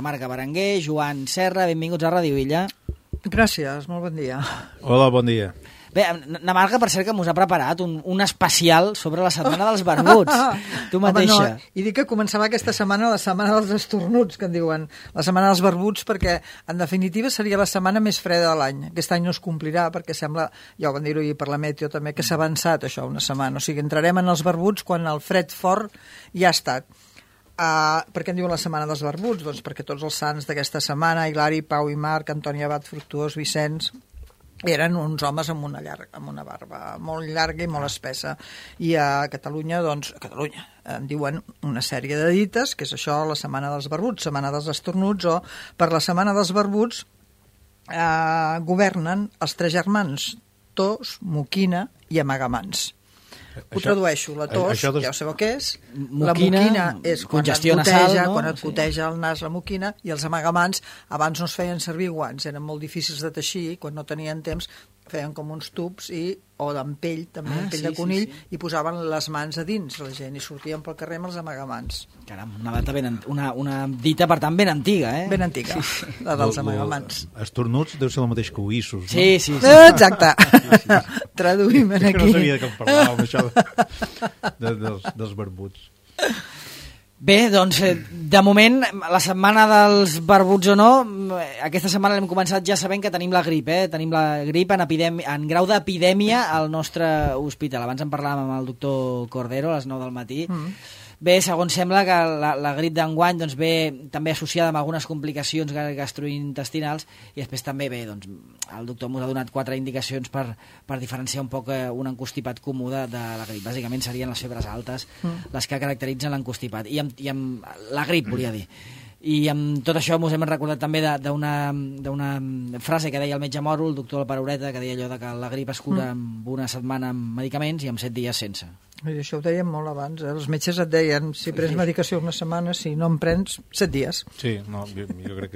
Marga Berenguer, Joan Serra, benvinguts a Ràdio Illa. Gràcies, molt bon dia. Hola, bon dia. Bé, na Marga, per cert, que m'us ha preparat un especial sobre la setmana dels barbuts. Tu mateixa. Home, no, i dic que començava aquesta setmana la setmana dels estornuts, que en diuen, la setmana dels barbuts, perquè en definitiva seria la setmana més freda de l'any. Aquest any no es complirà, perquè sembla, ja ho van dir-ho ahir per la Meteo també, que s'ha avançat això una setmana. O sigui, entrarem en els barbuts quan el fred fort ja ha estat. Per què en diuen la setmana dels barbuts? Doncs perquè tots els sants d'aquesta setmana, Hilari, Pau i Marc, Antoni Abat, Fructuós, Vicenç, eren uns homes amb una barba molt llarga i molt espessa. I a Catalunya, doncs, en diuen una sèrie de dites, que és això, la setmana dels barbuts, setmana dels estornuts, o per la setmana dels barbuts governen els tres germans, Tos, Moquina i Amagamans. Ho tradueixo, la tos, ja ho sabeu què és. La moquina és quan et goteja el nas la moquina, i els amagamans abans no es feien servir guants, eren molt difícils de teixir, quan no tenien temps feien com uns tubs o d'en pell, també en pell de conill, i posaven les mans a dins la gent i sortien pel carrer amb els amagamans. Caram, una dita, per tant, ben antiga, eh? Ben antiga, la dels amagamans. Estornuts deu ser el mateix que oïssos, no? Sí. Exacte. Traduïm aquí. Que no sabia que em parlàvem, això dels barbuts. Bé, doncs, de moment, la setmana dels barbuts o no, aquesta setmana l'hem començat ja sabent que tenim la grip, Tenim la grip en grau d'epidèmia al nostre hospital. Abans en parlàvem amb el doctor Cordero a les 9 del matí. Bé, segons sembla que la grip d'enguany doncs, ve també associada amb algunes complicacions gastrointestinals, i després també bé, doncs, el doctor ens ha donat 4 indicacions per diferenciar un poc un encostipat comú de la grip. Bàsicament serien les febres altes les que caracteritzen l'encostipat. I amb la grip, volia dir. I amb tot això ens hem recordat també d'una frase que deia el metge moro, el doctor Paraureta, que deia allò de que la grip es cura amb una setmana amb medicaments i amb 7 dies sense. I això ho dèiem molt abans. Els metges et deien, si prens medicació una setmana, si no en prens, 7 dies. Sí, no, jo crec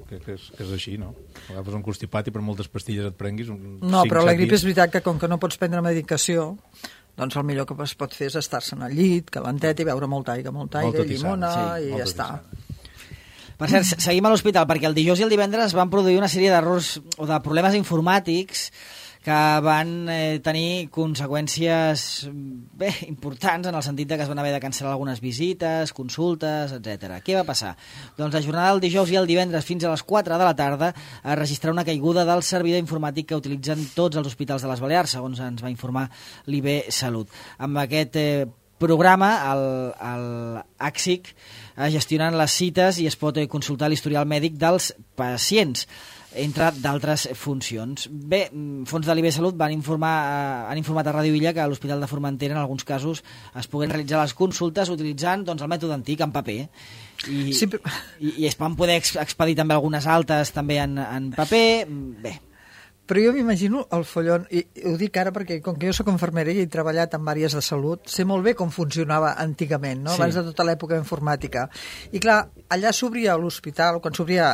que és així, no? Agafes un constipat i per moltes pastilles et prenguis... No, però la grip és veritat que com que no pots prendre medicació, doncs el millor que es pot fer és estar-se'n al llit, calentet, i beure molta aigua i llimona, i ja està. Per cert, seguim a l'hospital, perquè el dijous i el divendres van produir una sèrie d'errors o de problemes informàtics que van tenir conseqüències importants, en el sentit que es van haver de cancel·lar algunes visites, consultes, etc. Què va passar? Doncs la jornada del dijous i el divendres fins a les 4 de la tarda es registrà una caiguda del servidor informàtic que utilitzen tots els hospitals de les Balears, segons ens va informar l'IB Salut. Amb aquest programa, el ACSIC, gestionen les cites i es pot consultar l'historial mèdic dels pacients, entre d'altres funcions. Bé, fons de l'IB Salut han informat a Ràdio Illa que a l'Hospital de Formentera en alguns casos es puguen realitzar les consultes utilitzant el mètode antic, en paper, i es van poder expedir també algunes altes també en paper. Bé, però jo m'imagino el follon, i ho dic ara perquè com que jo soc infermera i he treballat en àrees de salut, sé molt bé com funcionava antigament, no? Abans de tota l'època informàtica. I clar, allà s'obria l'hospital, quan s'obria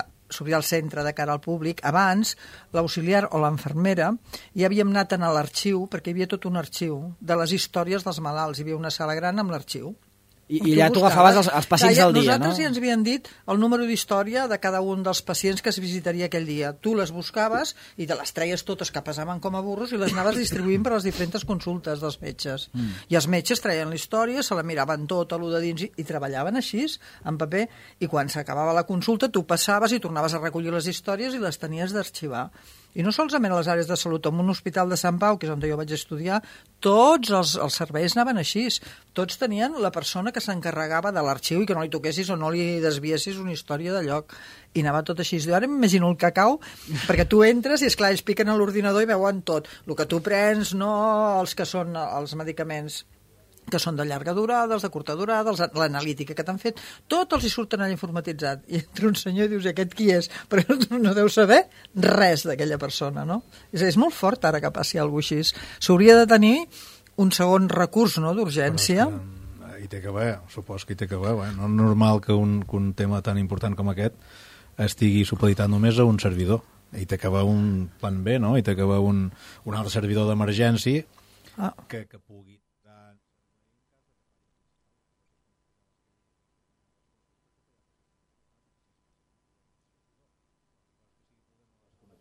el centre de cara al públic, abans l'auxiliar o l'enfermera ja havíem anat a l'arxiu, perquè hi havia tot un arxiu de les històries dels malalts, hi havia una sala gran amb l'arxiu. I allà tu agafaves els pacients del dia, no? Nosaltres ja ens havien dit el número d'història de cada un dels pacients que es visitaria aquell dia. Tu les buscaves i te les treies totes, que pesaven com a burros, i les anaves distribuint per les diferents consultes dels metges. I els metges treien la història, se la miraven tota, allò de dins, i treballaven així, en paper, i quan s'acabava la consulta tu passaves i tornaves a recollir les històries i les tenies d'arxivar. I no solament a les àrees de salut, en un hospital de Sant Pau, que és on jo vaig estudiar, tots els serveis anaven així. Tots tenien la persona que s'encarregava de l'arxiu i que no li toquessis o no li desviessis una història de lloc. I anava tot així. Jo ara m'imagino el cacau, perquè tu entres i, esclar, ells piquen a l'ordinador i veuen tot. El que tu prens, no els que són els medicaments que són de llarga durada, els de curta durada, l'analítica que t'han fet, tots els hi surten allà informatitzat. I entra un senyor i dius, aquest qui és? Però no deu saber res d'aquella persona, no? És molt fort ara que passi alguna cosa així. S'hauria de tenir un segon recurs, no?, d'urgència. Hi té que haver, supos que hi té que haver. No és normal que un tema tan important com aquest estigui supeditat només a un servidor. Hi té que haver un plan B, no? Hi té que haver un altre servidor d'emergència que pugui...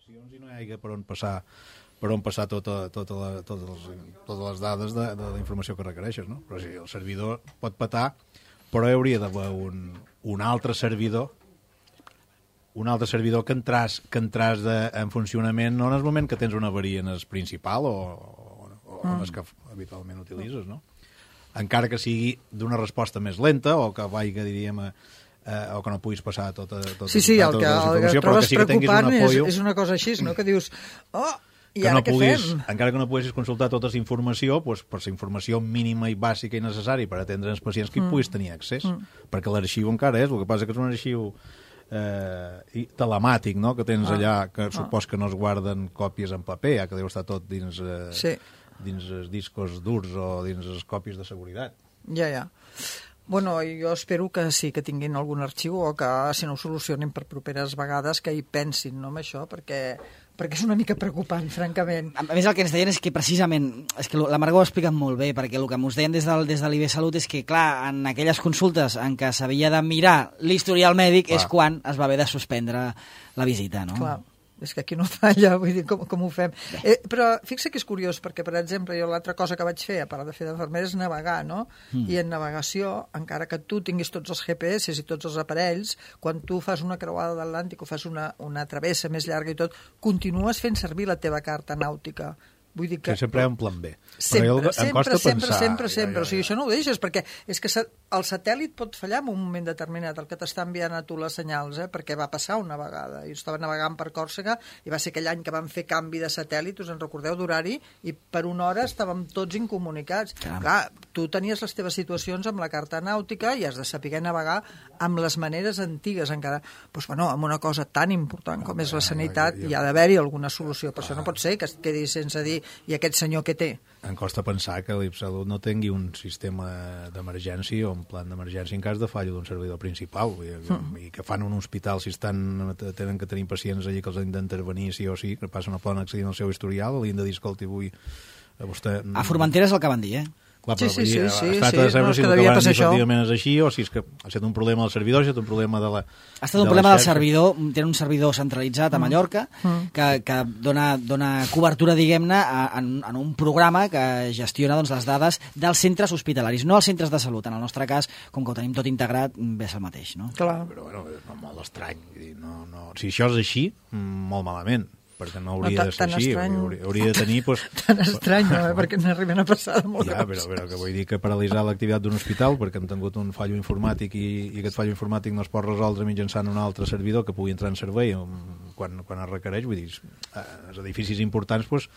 connexions i no hi hagi per on passar totes les dades de la informació que requereixes, no? Però sí, el servidor pot petar, però hi hauria d'haver un altre servidor que entràs en funcionament no en el moment que tens una avaria en el principal o en el que habitualment utilitzes, no? Encara que sigui d'una resposta més lenta o que vagi, diríem, o que no puguis passar tota Sí, el que trobes preocupant és una cosa així, no? Que dius, i ara què fem? Encara que no puguis consultar tota la informació, doncs, per la informació mínima i bàsica i necessària per atendre els pacients que hi puguis tenir accés, perquè l'arxiu encara és, el que passa que és un arxiu telemàtic, no?, que tens allà, que supos que no es guarden còpies en paper, que deu estar tot dins els discos durs o dins les còpies de seguretat. Ja. Bueno, jo espero que sí, que tinguin algun arxiu o que, si no ho solucionin per properes vegades, que hi pensin, no, amb això, perquè és una mica preocupant, francament. A més, el que ens deien és que precisament, és que la Margot ho ha explicat molt bé, perquè el que ens deien des de l'IB Salut és que, clar, en aquelles consultes en què s'havia de mirar l'historial mèdic és quan es va haver de suspendre la visita, no? Clar. És que aquí no falla, vull dir, com ho fem. Però fixa que és curiós, perquè, per exemple, jo l'altra cosa que vaig fer, a part de fer d'infermera, és navegar, no? I en navegació, encara que tu tinguis tots els GPS i tots els aparells, quan tu fas una creuada d'Atlàntic o fas una travessa més llarga i tot, continues fent servir la teva carta nàutica. Vull dir que... Sí, sempre hi ha un plan B. Sempre. O sigui, això no ho deixes, perquè és que el satèl·lit pot fallar en un moment determinat, el que t'està enviant a tu les senyals, perquè va passar una vegada. Jo estava navegant per Còrsega i va ser aquell any que vam fer canvi de satèl·lit, us en recordeu, d'horari, i per una hora estàvem tots incomunicats. Clar, tu tenies les teves situacions amb la carta nàutica i has de saber navegar amb les maneres antigues encara. Doncs, bueno, amb una cosa tan important com és la sanitat hi ha d'haver-hi alguna solució, però això no pot ser que es quedi sense dir i aquest senyor què té? Em costa pensar que l'IPSalut no tingui un sistema d'emergència o un plan d'emergència en cas de fallo d'un servidor principal i que fan un hospital si tenen que tenir pacients allí que els han d'intervenir sí o sí, que no poden accedir al seu historial, li han de dir, escolti, avui vostè... A Formentera és el que van dir, Clar, però sí, es tracta de saber si el que van dir efectivament és així o si és que ha estat un problema del servidor, ha estat un problema de la... Ha estat un problema del servidor, tenen un servidor centralitzat a Mallorca que dona cobertura, diguem-ne, en un programa que gestiona doncs, les dades dels centres hospitalaris, no els centres de salut. En el nostre cas, com que ho tenim tot integrat, ve el mateix, no? Clar. Però bueno, és molt estrany. Si això és així, molt malament. Perquè no hauria de ser així, hauria de tenir... Tan estrany, no? Perquè n'arriben a passar de molt cops. Però que vull dir que paralitzar l'activitat d'un hospital perquè han tingut un fallo informàtic i aquest fallo informàtic no es pot resoldre mitjançant un altre servidor que pugui entrar en servei quan es requereix, vull dir, els edificis importants, doncs,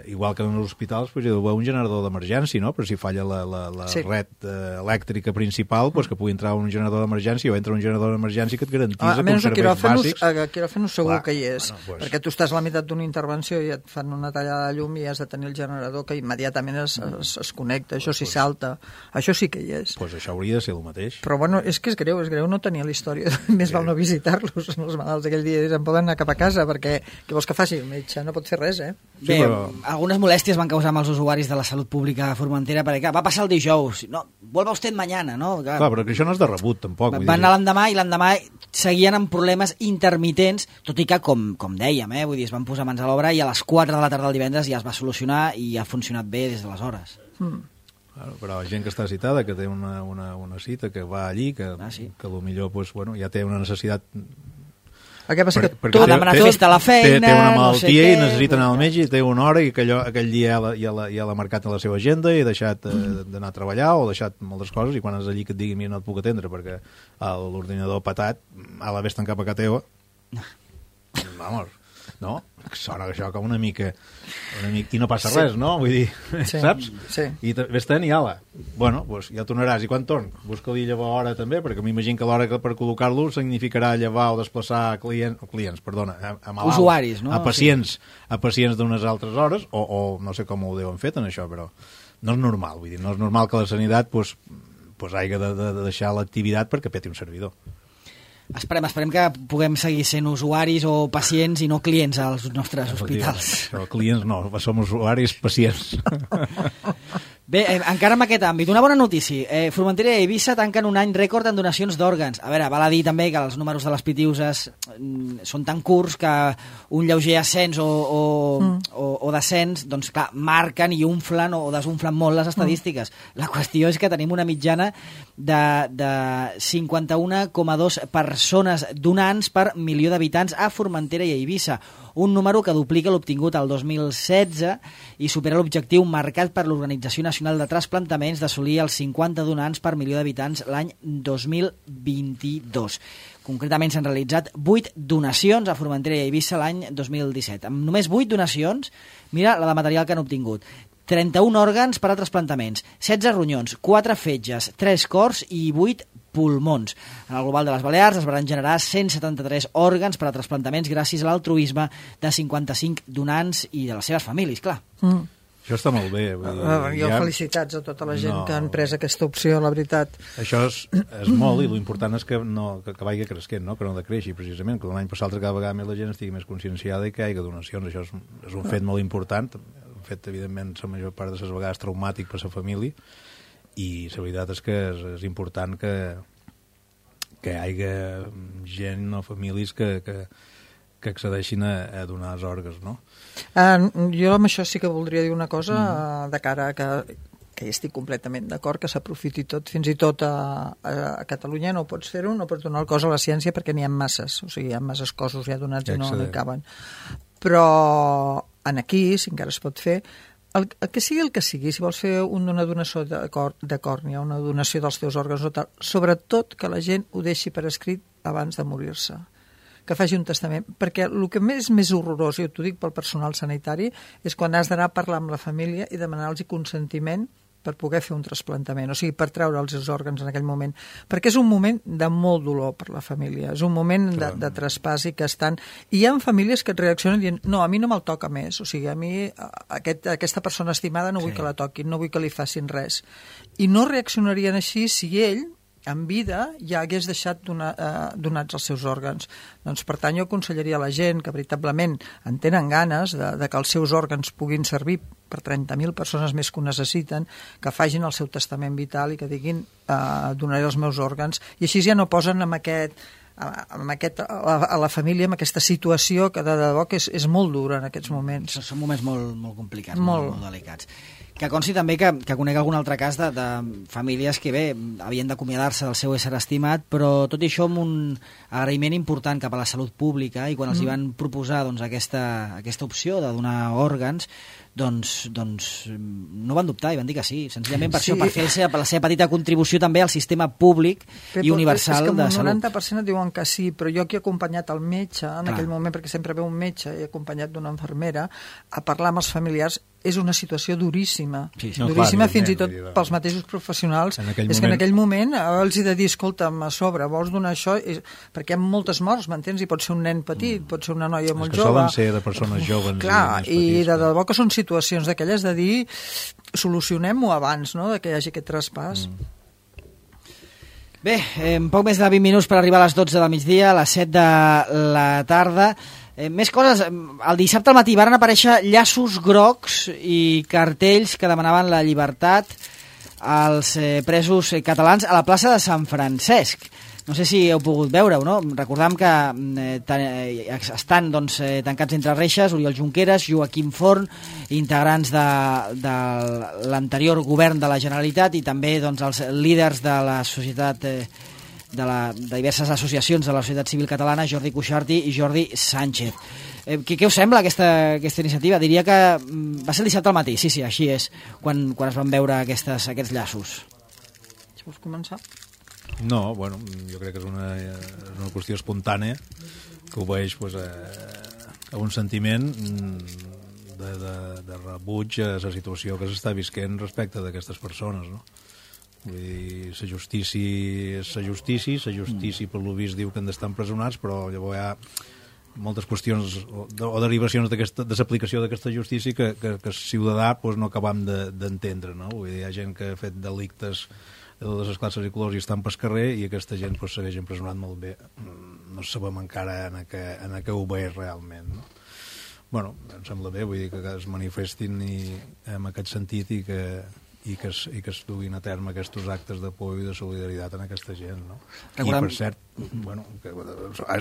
igual que en els hospitals, hi ha d'haver un generador d'emergència, no? Però si falla la red elèctrica principal, que pugui entrar un generador d'emergència o entra un generador d'emergència que et garantitza que uns serveis bàsics... A quiròfano segur que hi és, perquè tu estàs a la meitat d'una intervenció i et fan una tallada de llum i has de tenir el generador que immediatament es connecta, això sí salta, això sí que hi és. Doncs això hauria de ser el mateix. Però bueno, és que és greu no tenir la història, més val no visitar-los, els malalts aquell dia se'n poden anar cap a casa, perquè què vols que faci? El metge no pot fer res, Bé, algunes molèsties van causar amb els usuaris de la salut pública a Formentera perquè va passar el dijous, no, vuelva usted mañana, no? Clar, però que això no és de rebut, tampoc. Van anar l'endemà i l'endemà seguien amb problemes intermitents, tot i que, com dèiem, vull dir, es van posar mans a l'obra i a les 4 de la tarda del divendres ja es va solucionar i ha funcionat bé des d'aleshores. Però la gent que està citada, que té una cita, que va allí, que potser pues, ja té una necessitat... El que passa que ha demanat festa a la feina... Té una malaltia i necessita anar al metge i té una hora i aquell dia ja l'ha marcat a la seva agenda i ha deixat d'anar a treballar o ha deixat moltes coses i quan és allí que et digui mira no et puc atendre perquè l'ordinador patat a la vés tancar per casa teva vamos, no? Sona això com una mica i no passa res, no? Vull dir, saps? Sí. I vés-te'n i ala. Bueno, doncs ja tornaràs. I quan torn? Busca-li llevar hora també, perquè m'imagino que l'hora per col·locar-lo significarà llevar o desplaçar usuaris, no? A pacients d'unes altres hores, o no sé com ho deuen fet en això, però no és normal, vull dir, no és normal que la sanitat hagi de deixar l'activitat perquè peti un servidor. Esperem que puguem seguir sent usuaris o pacients i no clients als nostres hospitals. Clients no, som usuaris, pacients. Bé, encara en aquest àmbit, una bona notícia. Formentera i Eivissa tanquen un any rècord en donacions d'òrgans. A veure, val a dir també que els números de les Pitiuses són tan curts que un lleuger ascens o descens, doncs clar, marquen i unflen o desunflen molt les estadístiques. La qüestió és que tenim una mitjana de 51,2 persones donants per milió d'habitants a Formentera i a Eivissa, un número que duplica l'obtingut al 2016 i supera l'objectiu marcat per l'Organització Nacional de Trasplantaments d'assolir els 50 donants per milió d'habitants l'any 2022. Concretament s'han realitzat 8 donacions a Formentera i a Eivissa l'any 2017. Amb només 8 donacions, mira la de material que han obtingut. 31 òrgans per a trasplantaments, 16 ronyons, 4 fetges, 3 cors i 8 pulmons. En el global de les Balears es van generar 173 òrgans per a trasplantaments gràcies a l'altruisme de 55 donants i de les seves famílies, clar. Això està molt bé. Jo felicitats a tota la gent que han pres aquesta opció, la veritat. Això és molt, i l'important és que vagi creixent, no? Que no decreixi, precisament, que l'any passat cada vegada més la gent estigui més conscienciada i que hi hagi donacions. Això és un fet molt important, un fet, evidentment, la major part de les vegades traumàtic per la família, i la veritat és que és important que hi hagi gent o famílies que accedeixin a donar els òrgans, no? Jo amb això sí que voldria dir una cosa de cara a que hi estic completament d'acord, que s'aprofiti tot, fins i tot a Catalunya no pots fer-ho, no pots donar el cos a la ciència perquè n'hi ha masses, o sigui, hi ha masses cossos ja donats i no hi caben. Però aquí, si encara es pot fer, el que sigui, si vols fer una donació de còrnia, una donació dels teus òrgans o tal, sobretot que la gent ho deixi per escrit abans de morir-se, que faci un testament, perquè el que és més horrorós, i t'ho dic pel personal sanitari, és quan has d'anar a parlar amb la família i demanar-los consentiment per poder fer un trasplantament, o sigui, per treure els seus òrgans en aquell moment, perquè és un moment de molt dolor per la família, és un moment de traspàs i que estan... I hi ha famílies que et reaccionen dient, no, a mi no me'l toca més, o sigui, a mi aquesta persona estimada no vull que la toquin, no vull que li facin res. I no reaccionarien així si ell, en vida, ja hagués deixat donats els seus òrgans. Doncs, per tant, jo aconsellaria a la gent que veritablement en tenen ganes de que els seus òrgans puguin servir per 30.000 persones més que ho necessiten, que facin el seu testament vital i que diguin donaré els meus òrgans, i així ja no posen a la família en aquesta situació que de debò que és molt dura en aquests moments. Són moments molt complicats, molt delicats. Que consti també que conec algun altre cas de famílies que, bé, havien d'acomiadar-se del seu ésser estimat, però tot i això amb un agraïment important cap a la salut pública, i quan els hi van proposar aquesta opció de donar òrgans, doncs no van dubtar i van dir que sí, senzillament per això, per fer la seva petita contribució també al sistema públic i universal de salut. És que un 90% diuen que sí, però jo que he acompanyat el metge en aquell moment, perquè sempre ve un metge i he acompanyat d'una infermera a parlar amb els familiars, és una situació duríssima. Duríssima fins i tot pels mateixos professionals. És que en aquell moment els he de dir, escolta'm, a sobre, vols donar això? Perquè hi ha moltes morts, m'entens? I pot ser un nen petit, pot ser una noia molt jove. Solen ser de persones joves. Clar, i de debò que són situacions d'aquelles de dir solucionem-ho abans, no?, de que hi hagi aquest traspàs. Bé, poc més de 20 minuts per arribar a les 12 del migdia, a les 7 de la tarda. Més coses, el dissabte al matí van aparèixer llaços grocs i cartells que demanaven la llibertat als presos catalans a la plaça de Sant Francesc. No sé si heu pogut veure-ho, no? Recordam que estan tancats entre reixes Oriol Junqueras, Joaquim Forn, integrants de l'anterior govern de la Generalitat, i també els líders de la societat de diverses associacions de la societat civil catalana, Jordi Cuixart i Jordi Sánchez. Què us sembla aquesta iniciativa? Diria que va ser el dissabte al matí, sí, així és, quan es van veure aquests llaços. Si vols començar? No, bueno, jo crec que és una qüestió espontània que obeeix a un sentiment de rebuig a la situació que s'està visquent respecte d'aquestes persones, no? Vull dir, la justícia és la justícia per lo vist diu que han d'estar empresonats, però llavors hi ha moltes qüestions o derivacions de l'aplicació d'aquesta justícia que el ciutadà no acabam d'entendre, no? Vull dir, hi ha gent que ha fet delictes de totes les classes i colors i estan pel carrer, i aquesta gent segueix empresonat molt bé. No sabem encara en què ho ve realment, no? Bueno, em sembla bé, vull dir que es manifestin en aquest sentit i que que es duguin a terme aquests actes de por i de solidaritat en aquesta gent, no? Recordem... I, per cert, bueno,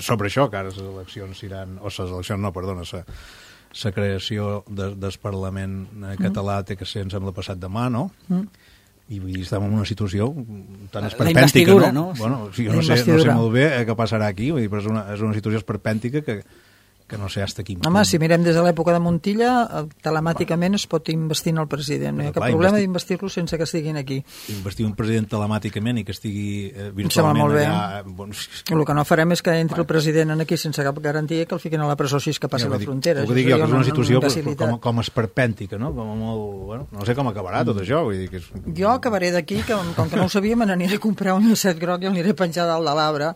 sobre això, que ara les eleccions seran... O les eleccions, no, perdona, la creació del Parlament català té que ser, em sembla, passat demà, no? I vull dir, estem en una situació tan esperpèntica, no? Bueno, sí, jo no sé molt bé què passarà aquí, vull dir, però és una situació esperpèntica que no sé hasta quin punt. Home, si mirem des de l'època de Montilla, telemàticament es pot investir en el president. No hi ha cap problema d'investir-lo sense que estiguin aquí. Investir un president telemàticament i que estigui virtualment allà... Bueno, el que no farem és que entri el president aquí sense cap garantia que el fiquin a la presó si és que passa la frontera. Ho dic jo, que és una situació com esperpèntica, no? Com molt... Bueno, no sé com acabarà tot això. Vull dir que és... Jo acabaré d'aquí, com que no ho sabia, me n'aniré a comprar un llacet groc i l'aniré a penjar dalt de l'arbre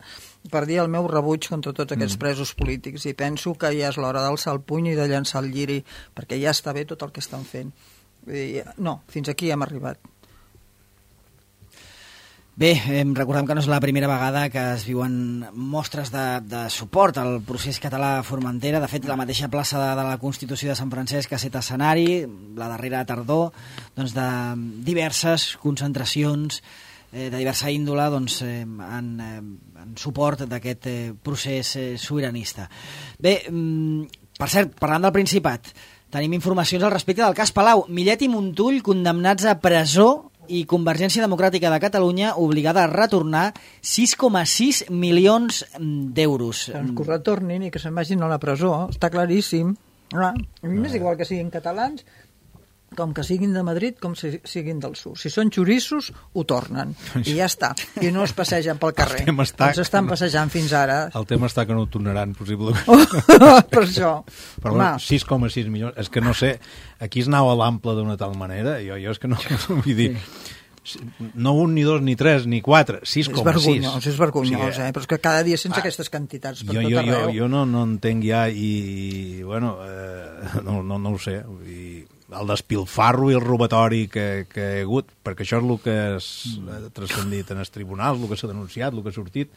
per dir el meu rebuig contra tots aquests presos polítics, i penso que ja és l'hora d'alçar el puny i de llançar el lliri, perquè ja està bé tot el que estan fent. No, fins aquí hem arribat. Bé, recordem que no és la primera vegada que es viuen mostres de suport al procés català a Formentera. De fet, la mateixa plaça de la Constitució de Sant Francesc ha estat escenari, la darrera tardor, doncs, de diverses concentracions de diversa índole, doncs, en suport d'aquest procés sobiranista. Bé, per cert, parlant del Principat, tenim informacions al respecte del cas Palau. Millet i Montull condemnats a presó i Convergència Democràtica de Catalunya obligada a retornar 6,6 milions d'euros. Doncs que ho retornin i que se'n vagin a la presó, està claríssim. A mi m'és igual que siguin catalans, com que siguin de Madrid, com si siguin del sud. Si són xorissos, ho tornen. I ja està. I no es passegen pel carrer. Els estan passejant fins ara. El tema està que no ho tornaran, possiblement. Per això. Però bueno, 6,6 milions... És que no sé, aquí es anava a l'ample d'una tal manera, jo és que no... Vull dir... No un, ni dos, ni tres, ni quatre, 6,6. És vergonyós, però és que cada dia sense aquestes quantitats per tot arreu. Jo no entenc ja i bueno, no ho sé. El despilfarro i el robatori que hi ha hagut, perquè això és el que ha transcendit en els tribunals, el que s'ha denunciat, el que ha sortit,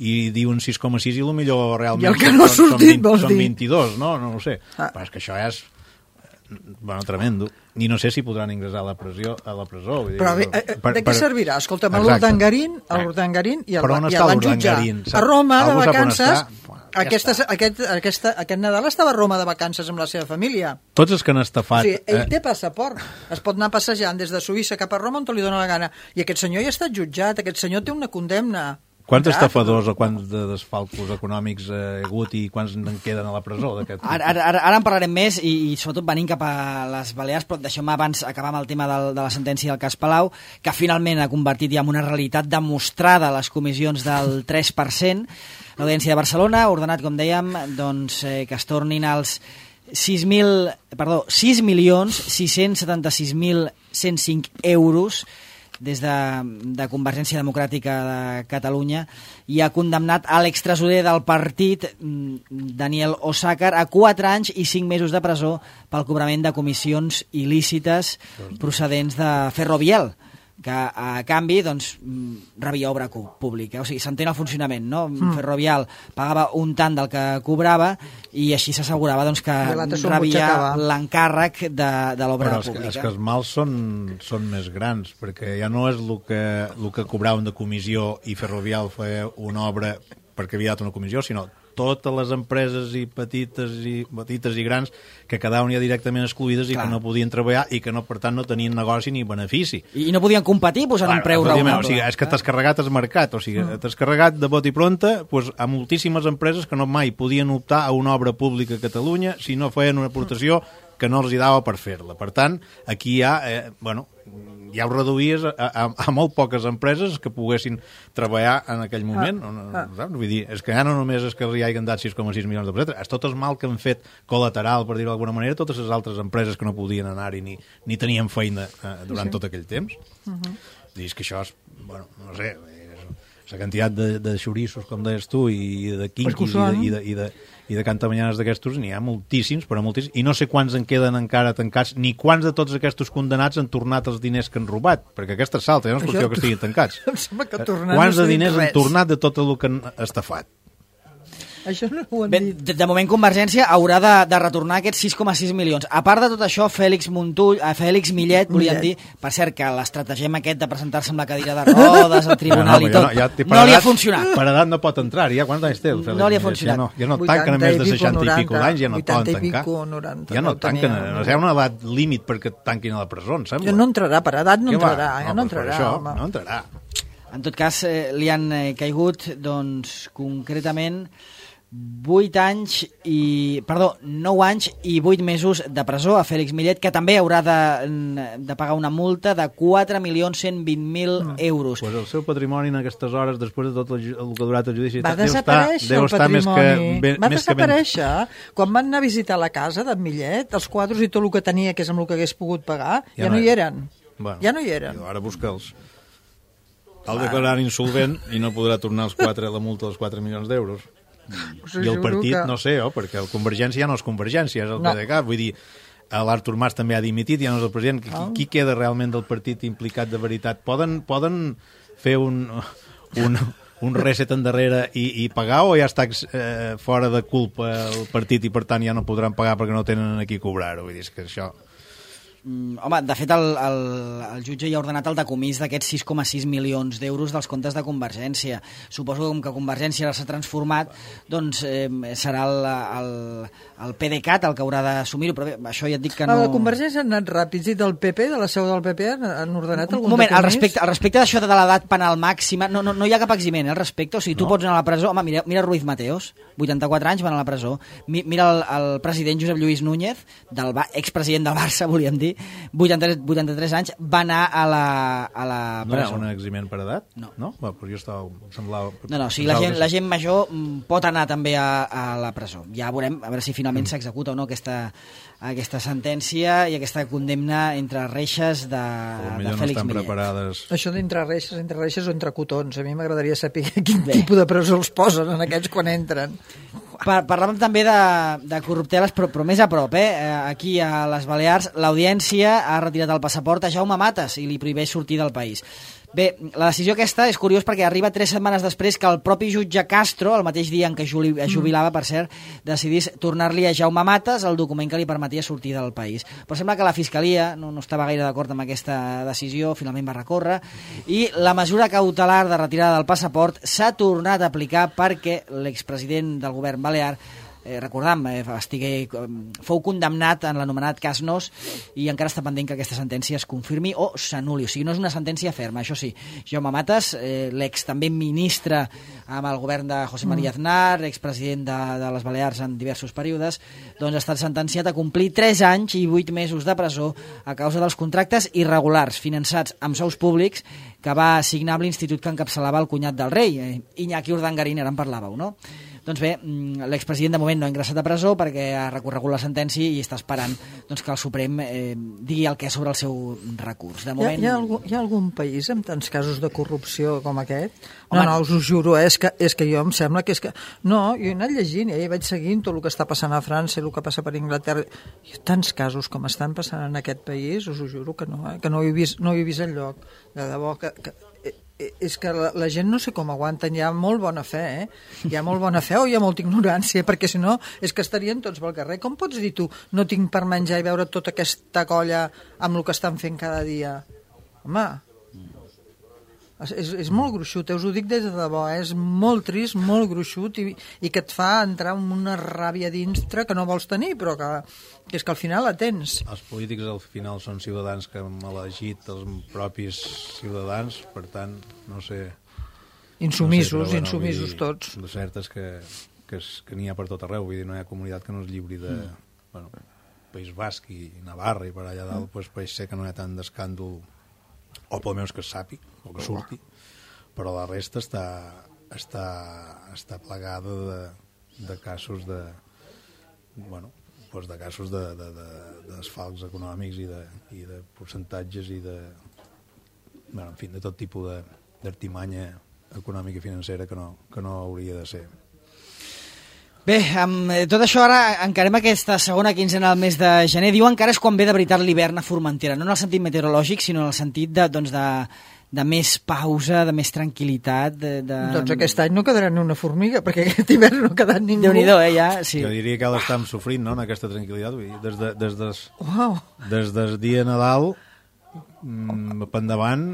i diuen 6,6 i el millor realment I el que no ha sortit, vols dir? Són 22, no ho sé. Però és que això és tremendo. I no sé si podran ingressar a la presó. Vull dir, però de què servirà? Escolta'm, l'Urdangarín i l'han jutjat a Roma de vacances. Aquest Nadal estava a Roma de vacances amb la seva família. Tots els que han estafat... Sí, ell té passaport. Es pot anar passejant des de Suïssa cap a Roma on li dóna la gana. I aquest senyor ja ha estat jutjat, aquest senyor té una condemna. Quants estafadors o quants desfalcos econòmics hi ha hagut i quants en queden a la presó? Ara en parlarem més i sobretot venint cap a les Balears, però deixeu-me abans acabar amb el tema de la sentència del cas Palau, que finalment ha convertit ja en una realitat demostrada a les comissions del 3%. L'Audiència de Barcelona ha ordenat, com dèiem, doncs, que es tornin els 6.676.105 euros des de Convergència Democràtica de Catalunya, i ha condemnat a l'extresorer del partit, Daniel Osàcar, a 4 anys i 5 mesos de presó pel cobrament de comissions il·lícites procedents de Ferrovial, que a canvi doncs, rebia obra pública. O sigui, s'entén el funcionament, no? Ferrovial pagava un tant del que cobrava i així s'assegurava doncs, que rebia l'encàrrec de l'obra pública. Però és que els mals són més grans, perquè ja no és el que cobraven de comissió i Ferrovial feia una obra perquè havia dat una comissió, sinó totes les empreses i petites i grans que quedaven ja directament excluïdes i que no podien treballar i que no, per tant no tenien negoci ni benefici. I no podien competir posant un preu raonable. O sigui, és que t'has carregat el mercat, o sigui, t'has carregat de bot i pronta doncs, a moltíssimes empreses que no mai podien optar a una obra pública a Catalunya si no feien una aportació que no els hi dava per fer-la. Per tant, aquí ja ja ho reduïes a molt poques empreses que poguessin treballar en aquell moment. Vull dir, és que ja no només és que hi hagin dat 6,6 milions d'euros, és tot el mal que han fet col·lateral, per dir-ho d'alguna manera, totes les altres empreses que no podien anar-hi ni tenien feina durant tot aquell temps. És que això és, bueno, no sé, la quantitat de xorissos, com deies tu, i de quinquis i de cantamanyanes d'aquestos, n'hi ha moltíssims, però moltíssims, i no sé quants en queden encara tancats, ni quants de tots aquests condemnats han tornat els diners que han robat, perquè aquesta és salta, no és qüestió que estiguin tancats. Quants de diners han tornat de tot el que han estafat? Això no ho han Bé, dit. de moment Convergència haurà de retornar aquests 6,6 milions. A part de tot això, Fèlix Millet, volíem dir, per cert, que l'estratagem aquest de presentar-se amb la cadira de rodes al tribunal i tot, no li ha funcionat. Per edat no pot entrar, ja quants anys té el Fèlix? No li ha funcionat. Ja no tanquen a més de 60 i pico d'anys, ja no poden 80 i tancar. pico, 90, Ja no no tenia. tanquen, no hi ha una edat límit perquè tanquin a la presó, em sembla. Ja no entrarà, per edat no Què va? entrarà, ja no doncs per entrarà, això, home. no entrarà. En tot cas, li han caigut, doncs, concretament 9 anys i 8 mesos de presó a Fèlix Millet, que també haurà de pagar una multa de 4.120.000 euros. Pues el seu patrimoni en aquestes hores, després de tot el que ha durat el judici, Va desaparèixer el patrimoni. Va desaparèixer. Quan van anar a visitar la casa d'en Millet, els quadres i tot el que tenia, que és amb el que hagués pogut pagar, ja no hi eren. Bueno, ja no hi eren. Ara busca'ls. El declarar insolvent i no podrà tornar la multa dels 4 milions d'euros. I el partit, no sé, perquè el Convergència ja no és Convergència, és el PDeCAT. Vull dir, l'Artur Mas també ha dimitit, ja no és el president. Qui queda realment del partit implicat de veritat? Poden fer un reset endarrere i pagar, o ja està fora de culpa el partit i per tant ja no podran pagar perquè no tenen a qui cobrar-ho? Vull dir, és que això... Home, de fet, el jutge ja ha ordenat el decomís d'aquests 6,6 milions d'euros dels comptes de Convergència. Suposo que com que Convergència s'ha transformat, doncs serà el PDeCAT el que haurà d'assumir-ho, però bé, això ja et dic que no... La Convergència han anat ràpids, i del PP, de la seu del PP, han ordenat algun moment, decomís? al respecte d'això de l'edat penal màxima, no hi ha cap eximent al respecte, o sigui, tu pots anar a la presó. Home, mira Ruiz Mateos, 84 anys, van a la presó. Mira el president Josep Lluís Núñez, expresident del Barça, volíem dir, 83 anys, va anar a la presó. No era un eximent per edat? No. Però jo semblava... No, o sigui, la gent major pot anar també a la presó. Ja veurem, a veure si finalment s'executa o no aquesta sentència i aquesta condemna entre reixes de Fèlix Millet. Preparades... Això d'entre reixes o entre cotons. A mi m'agradaria saber quin tipus de presó els posen en aquests quan entren. Parlàvem també de corrupteles, però més a prop. Aquí a les Balears l'Audiència ha retirat el passaport a Jaume Matas i li prohibeix sortir del país. Bé, la decisió aquesta és curiós perquè arriba 3 setmanes després que el propi jutge Castro, el mateix dia en què es jubilava, per cert, decidís tornar-li a Jaume Matas el document que li permetia sortir del país. Però sembla que la Fiscalia no estava gaire d'acord amb aquesta decisió, finalment va recórrer, i la mesura cautelar de retirada del passaport s'ha tornat a aplicar perquè l'expresident del govern balear, recordam, fou condemnat en l'anomenat cas Nos i encara està pendent que aquesta sentència es confirmi o s'anul·li, o sigui, no és una sentència ferma, això sí. Jaume Matas, l'ex també ministre amb el govern de José María Aznar, expresident de les Balears en diversos períodes, doncs ha estat sentenciat a complir 3 anys i 8 mesos de presó a causa dels contractes irregulars finançats amb sous públics que va signar amb l'institut que encapçalava el cunyat del rei, Iñaki Urdangarín, ara en parlàveu, no? Doncs bé, l'expresident de moment no ha ingressat a presó perquè ha recorregut la sentència i està esperant doncs, que el Suprem digui el que és sobre el seu recurs. De moment... Hi ha algun país amb tants casos de corrupció com aquest? No, us ho juro, és que jo em sembla que és que... No, jo he anat llegint, i vaig seguint tot el que està passant a França i el que passa per Anglaterra. Hi ha tants casos com estan passant en aquest país, us ho juro que no he vist enlloc. De debò que és que la gent no sé com aguanten, hi ha molt bona fe, hi ha molt bona fe o hi ha molta ignorància, perquè si no és que estarien tots pel carrer. Com pots dir tu, no tinc per menjar i veure tota aquesta colla amb el que estan fent cada dia? Home, és molt gruixut, us ho dic des de debò, és molt trist, molt gruixut i que et fa entrar en una ràbia dintre que no vols tenir, però que és que al final la tens. Els polítics al final són ciutadans que hem elegit els propis ciutadans, per tant, no sé... Insumisos tots. El cert és que n'hi ha per tot arreu, vull dir, no hi ha comunitat que no es lliuri de... País Basc i Navarra i per allà dalt, doncs pot ser que no hi ha tant d'escàndol, o pel menys que es sàpiga, o que surti, però la resta està plagada de casos de casos d'esfalcs econòmics i de percentatges i de tot tipus d'artimanya econòmica i financera que no hauria de ser. Bé, amb tot això ara encarem aquesta segona quinzena del mes de gener. Diuen que ara és quan ve de veritat l'hivern a Formentera, no en el sentit meteorològic, sinó en el sentit de més pausa, de més tranquil·litat. Doncs aquest any no quedarà ni una formiga, perquè aquest hivern no ha quedat ningú. Déu-n'hi-do, ja, sí. Jo diria que l'estem sofrint, no?, en aquesta tranquil·litat. Vull dir, Uau. des del dia de Nadal per endavant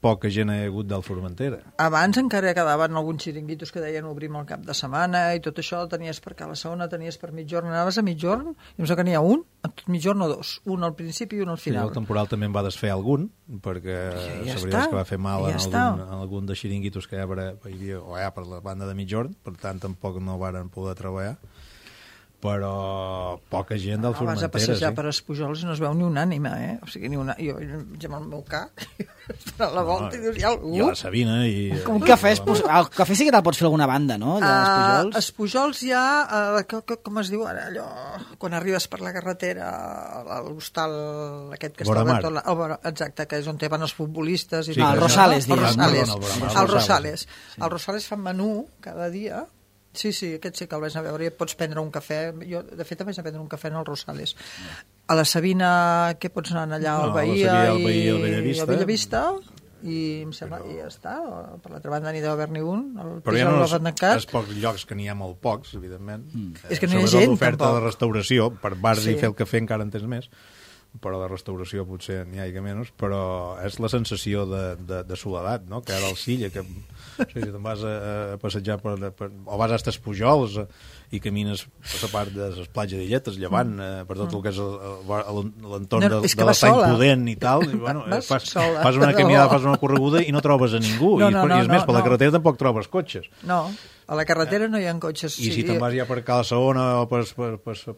poca gent ha hagut del Formentera. Abans encara quedaven alguns xiringuitos que deien obrim el cap de setmana i tot això tenies per cada segona, tenies per mitjorn, anaves a mitjorn i em sembla que n'hi ha un, a tot mitjorn o dos, un al principi i un al Sí, final. el temporal també en va desfer algun, perquè Ja la veritat està, és que va fer mal ja en algun de xiringuitos que hi havia per la banda de mitjorn, per tant tampoc no varen poder treballar, però poca gent del Vas a Formentera, passejar sí. per Espujols i no es veu ni una ànima, O sigui, ni una... Jo amb el meu ca, a la volta i dius, hi ha algú? I a la Sabina i... Un cafè, el cafè sí que te'l pots fer a alguna banda, no? Allà a Espujols. Espujols hi ha, com es diu ara, allò, quan arribes per la carretera, a l'hostal aquest que està Voramar. obert, exacte, que és on van els futbolistes. I Sí, tot el això. Rosales, El digues. Rosales. No, el Voramar, El el Rosales. Sí. El Rosales fan menú cada dia. Sí, aquest sí que el vaig anar a veure i et pots prendre un cafè. Jo, de fet, em vaig a prendre un cafè en el Rosales. A la Sabina, què pots anar allà? Al No, a la Bahia Sabina, al Bahia, al Bellavista. al Bellavista. I em sembla que ja està. Per l'altra banda n'hi deu haver-n'hi un. Però hi ha els pocs llocs, que n'hi ha molt pocs, evidentment. És que no hi ha Sobretot gent, l'oferta tampoc. de restauració, per bars Sí. i fer el cafè encara en tens més, però de restauració potser n'hi ha menys, però és la sensació de soledat, no?, que ara al Silla, que si te'n vas a passejar o vas a estes Pujols i camines per la part de les platges d'Illetes, llevant per tot el que és l'entorn No, és que de vas l'estany sola. Pudent i tal, i, bueno, Vas fas sola, una de caminada, debò. fas una correguda i no trobes a ningú, No, i és més, per la no. carretera tampoc trobes cotxes. No, a la carretera no hi ha cotxes. I si te'n vas ja per Cala Saona o per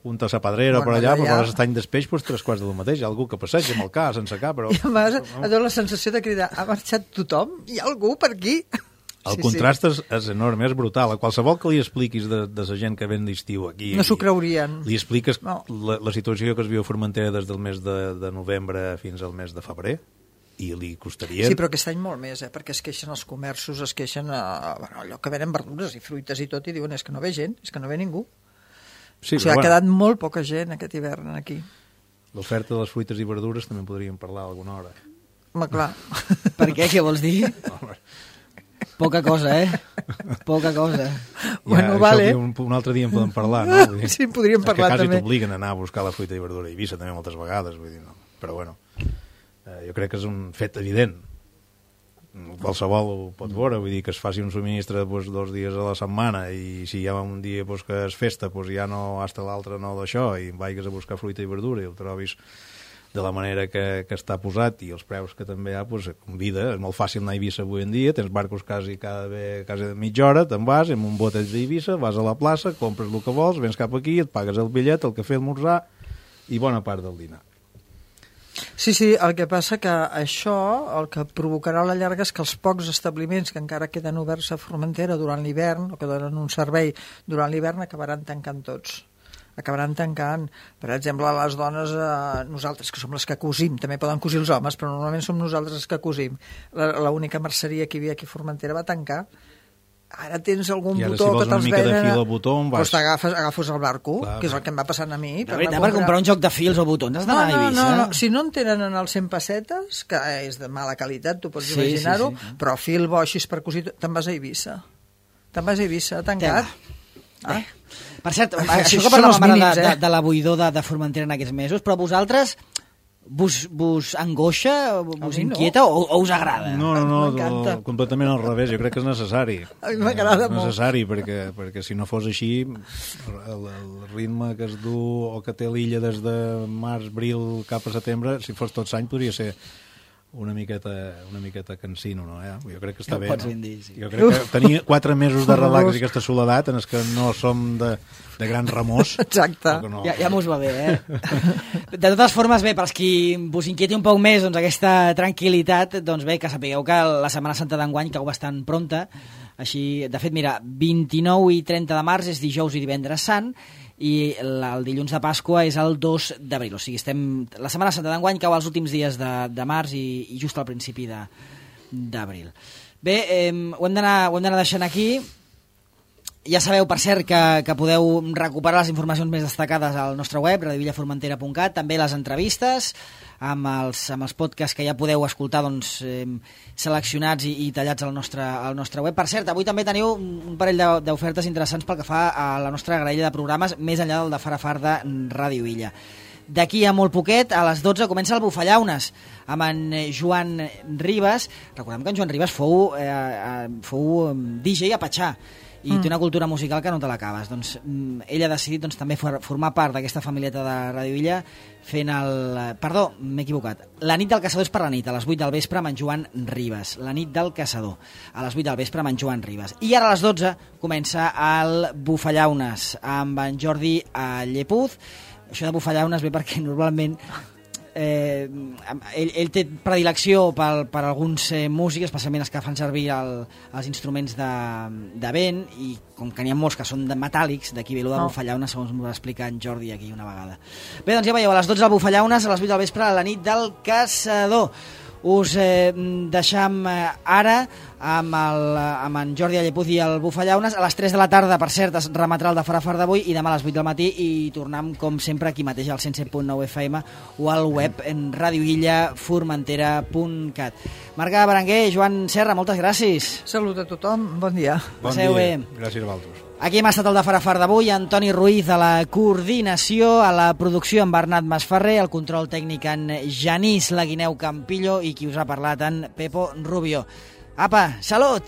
Punta a la Pedrera o per Bueno, allà, allà per ja. l'estany d'Espeix, doncs 3 quarts del mateix. Hi ha algú que passeja amb el ca, sense ca, però... I a més, et dona la sensació de cridar, ha marxat tothom? Hi ha algú per aquí? El contrast és enorme, és brutal. A qualsevol que li expliquis de la gent que ven d'estiu aquí... No s'ho creurien. Li expliques No. la situació que es viu a Formentera des del mes de novembre fins al mes de febrer, i li costaria... Sí, però aquest any molt més, perquè es queixen els comerços, es queixen allò que venen verdures i fruites i tot, i diuen, és que no ve gent, és que no ve ningú. Sí, O sigui, ha quedat molt poca gent aquest hivern aquí. L'oferta de les fruites i verdures també en podríem parlar alguna hora. Home, clar. Per què? Què vols dir? Poca cosa, Poca cosa. Bueno, això vale. Un altre dia en podem parlar, no? Vull dir, Sí, en podríem parlar, és que quasi també. t'obliguen a anar a buscar la fruita i verdura a Eivissa també moltes vegades, vull dir, no. Però bueno, jo crec que és un fet evident. Qualsevol ho pot veure, vull dir que es faci un subministre 2 dies a la setmana i si hi ha un dia que és festa ja no hasta l'altre no d'això i vagis a buscar fruita i verdura i el trobis de la manera que està posat i els preus que també hi ha, convida. És molt fàcil anar a Eivissa avui en dia, tens barcos quasi mitja hora, te'n vas amb un botet d'Eivissa, vas a la plaça, compres el que vols, vens cap aquí, et pagues el bitllet, el cafè, esmorzar i bona part del dinar. Sí, el que passa que això el que provocarà a la llarga és que els pocs establiments que encara queden oberts a Formentera durant l'hivern, o que donen un servei durant l'hivern, acabaran tancant tots. Acabaran tancant. Per exemple, les dones, nosaltres, que som les que cosim, també poden cosir els homes, però normalment som nosaltres els que cosim. L'única merceria que hi havia aquí a Formentera va tancar. Ara tens algun I ara, botó si vols que una te'ls mica de venen... fil al botó, on vas? Doncs agafes el barco, Clar, que és el que em va passant a mi. De veritat, per comprar un joc de fils o botons has d'anar a Eivissa? No, si no en tenen en els 100 pessetes, que és de mala qualitat, tu pots imaginar-ho, sí. però fil bo així per cosir, te'n vas a Eivissa. Te'n vas a Eivissa, tancat. Per cert, Sí, això que són parlàvem els ara mínims, de la buidor de Formentera en aquests mesos, però vosaltres vos angoixa, vos mi no. inquieta o us agrada? No, M'encanta. completament al revés. Jo crec que és necessari. A mi m'agrada És molt. necessari, perquè si no fos així, el ritme que es du o que té l'illa des de març, abril cap a setembre, si fos tot l'any, podria ser una miqueta cansino, no? Jo crec que està Ja ho bé. pots No? ben dir, sí. Jo crec que tenir 4 mesos de relax Horrorós. i aquesta soledat en els que no som de gran remors... Exacte. no. Ja mos va bé, De totes formes, bé, per als qui vos inquieti un poc més doncs, aquesta tranquil·litat, doncs bé, que sapigueu que la Setmana Santa d'enguany cau bastant prompta. Així, de fet, mira, 29 i 30 de març és dijous i divendres sant, i el dilluns de Pasqua és el 2 d'abril. O sigui, la Setmana Santa d'enguany cau els últims dies de març i just al principi d'abril. Bé, ho hem d'anar deixant aquí Ja sabeu, per cert, que podeu recuperar les informacions més destacades al nostre web, radiovillaformentera.cat, també les entrevistes, amb els podcasts que ja podeu escoltar doncs, seleccionats i tallats al nostre web. Per cert, avui també teniu un parell d'ofertes interessants pel que fa a la nostra graella de programes, més enllà del de Far a Far de Ràdio Villa. D'aquí a molt poquet, a les 12, comença el Bufallaunes, amb en Joan Ribas. Recordem que en Joan Ribas fou DJ a Patxà, i té una cultura musical que no te l'acabes. Doncs ell ha decidit també formar part d'aquesta familieta de Ràdio Villa fent Perdó, m'he equivocat. La nit del caçador és per la nit, a les 8 del vespre amb en Joan Ribas. La nit del caçador, a les 8 del vespre amb en Joan Ribas. I ara a les 12 comença el Bufallaunes amb en Jordi Llepuz. Això de Bufallaunes ve perquè normalment ell té predilecció per alguns músics, especialment els que fan servir els instruments de vent, i com que n'hi ha molts que són metàl·lics, d'aquí ve de Bufallaunes, segons m'ho va explicar en Jordi aquí una vegada. Bé, doncs ja veieu, a les 12 el Bufallaunes, a les 8 del vespre a la nit del caçador. Us deixam ara amb en Jordi Llepuz i el Bufallaunes. A les 3 de la tarda, per cert, es remetrà el de Far a Far d'avui, i demà a les 8 del matí i tornem com sempre aquí mateix al 107.9 FM o al web en radiovillaformentera.cat. Marga Berenguer, Joan Serra, moltes gràcies. Salut a tothom, bon dia. Passeu bé. Gràcies a vosaltres. Aquí hem estat el de Far a Far d'avui, Antoni Ruiz a la coordinació, a la producció en Bernat Masferrer, al control tècnic en Genís Laguineu Campillo i qui us ha parlat en Pepo Rubio. Apa, salut!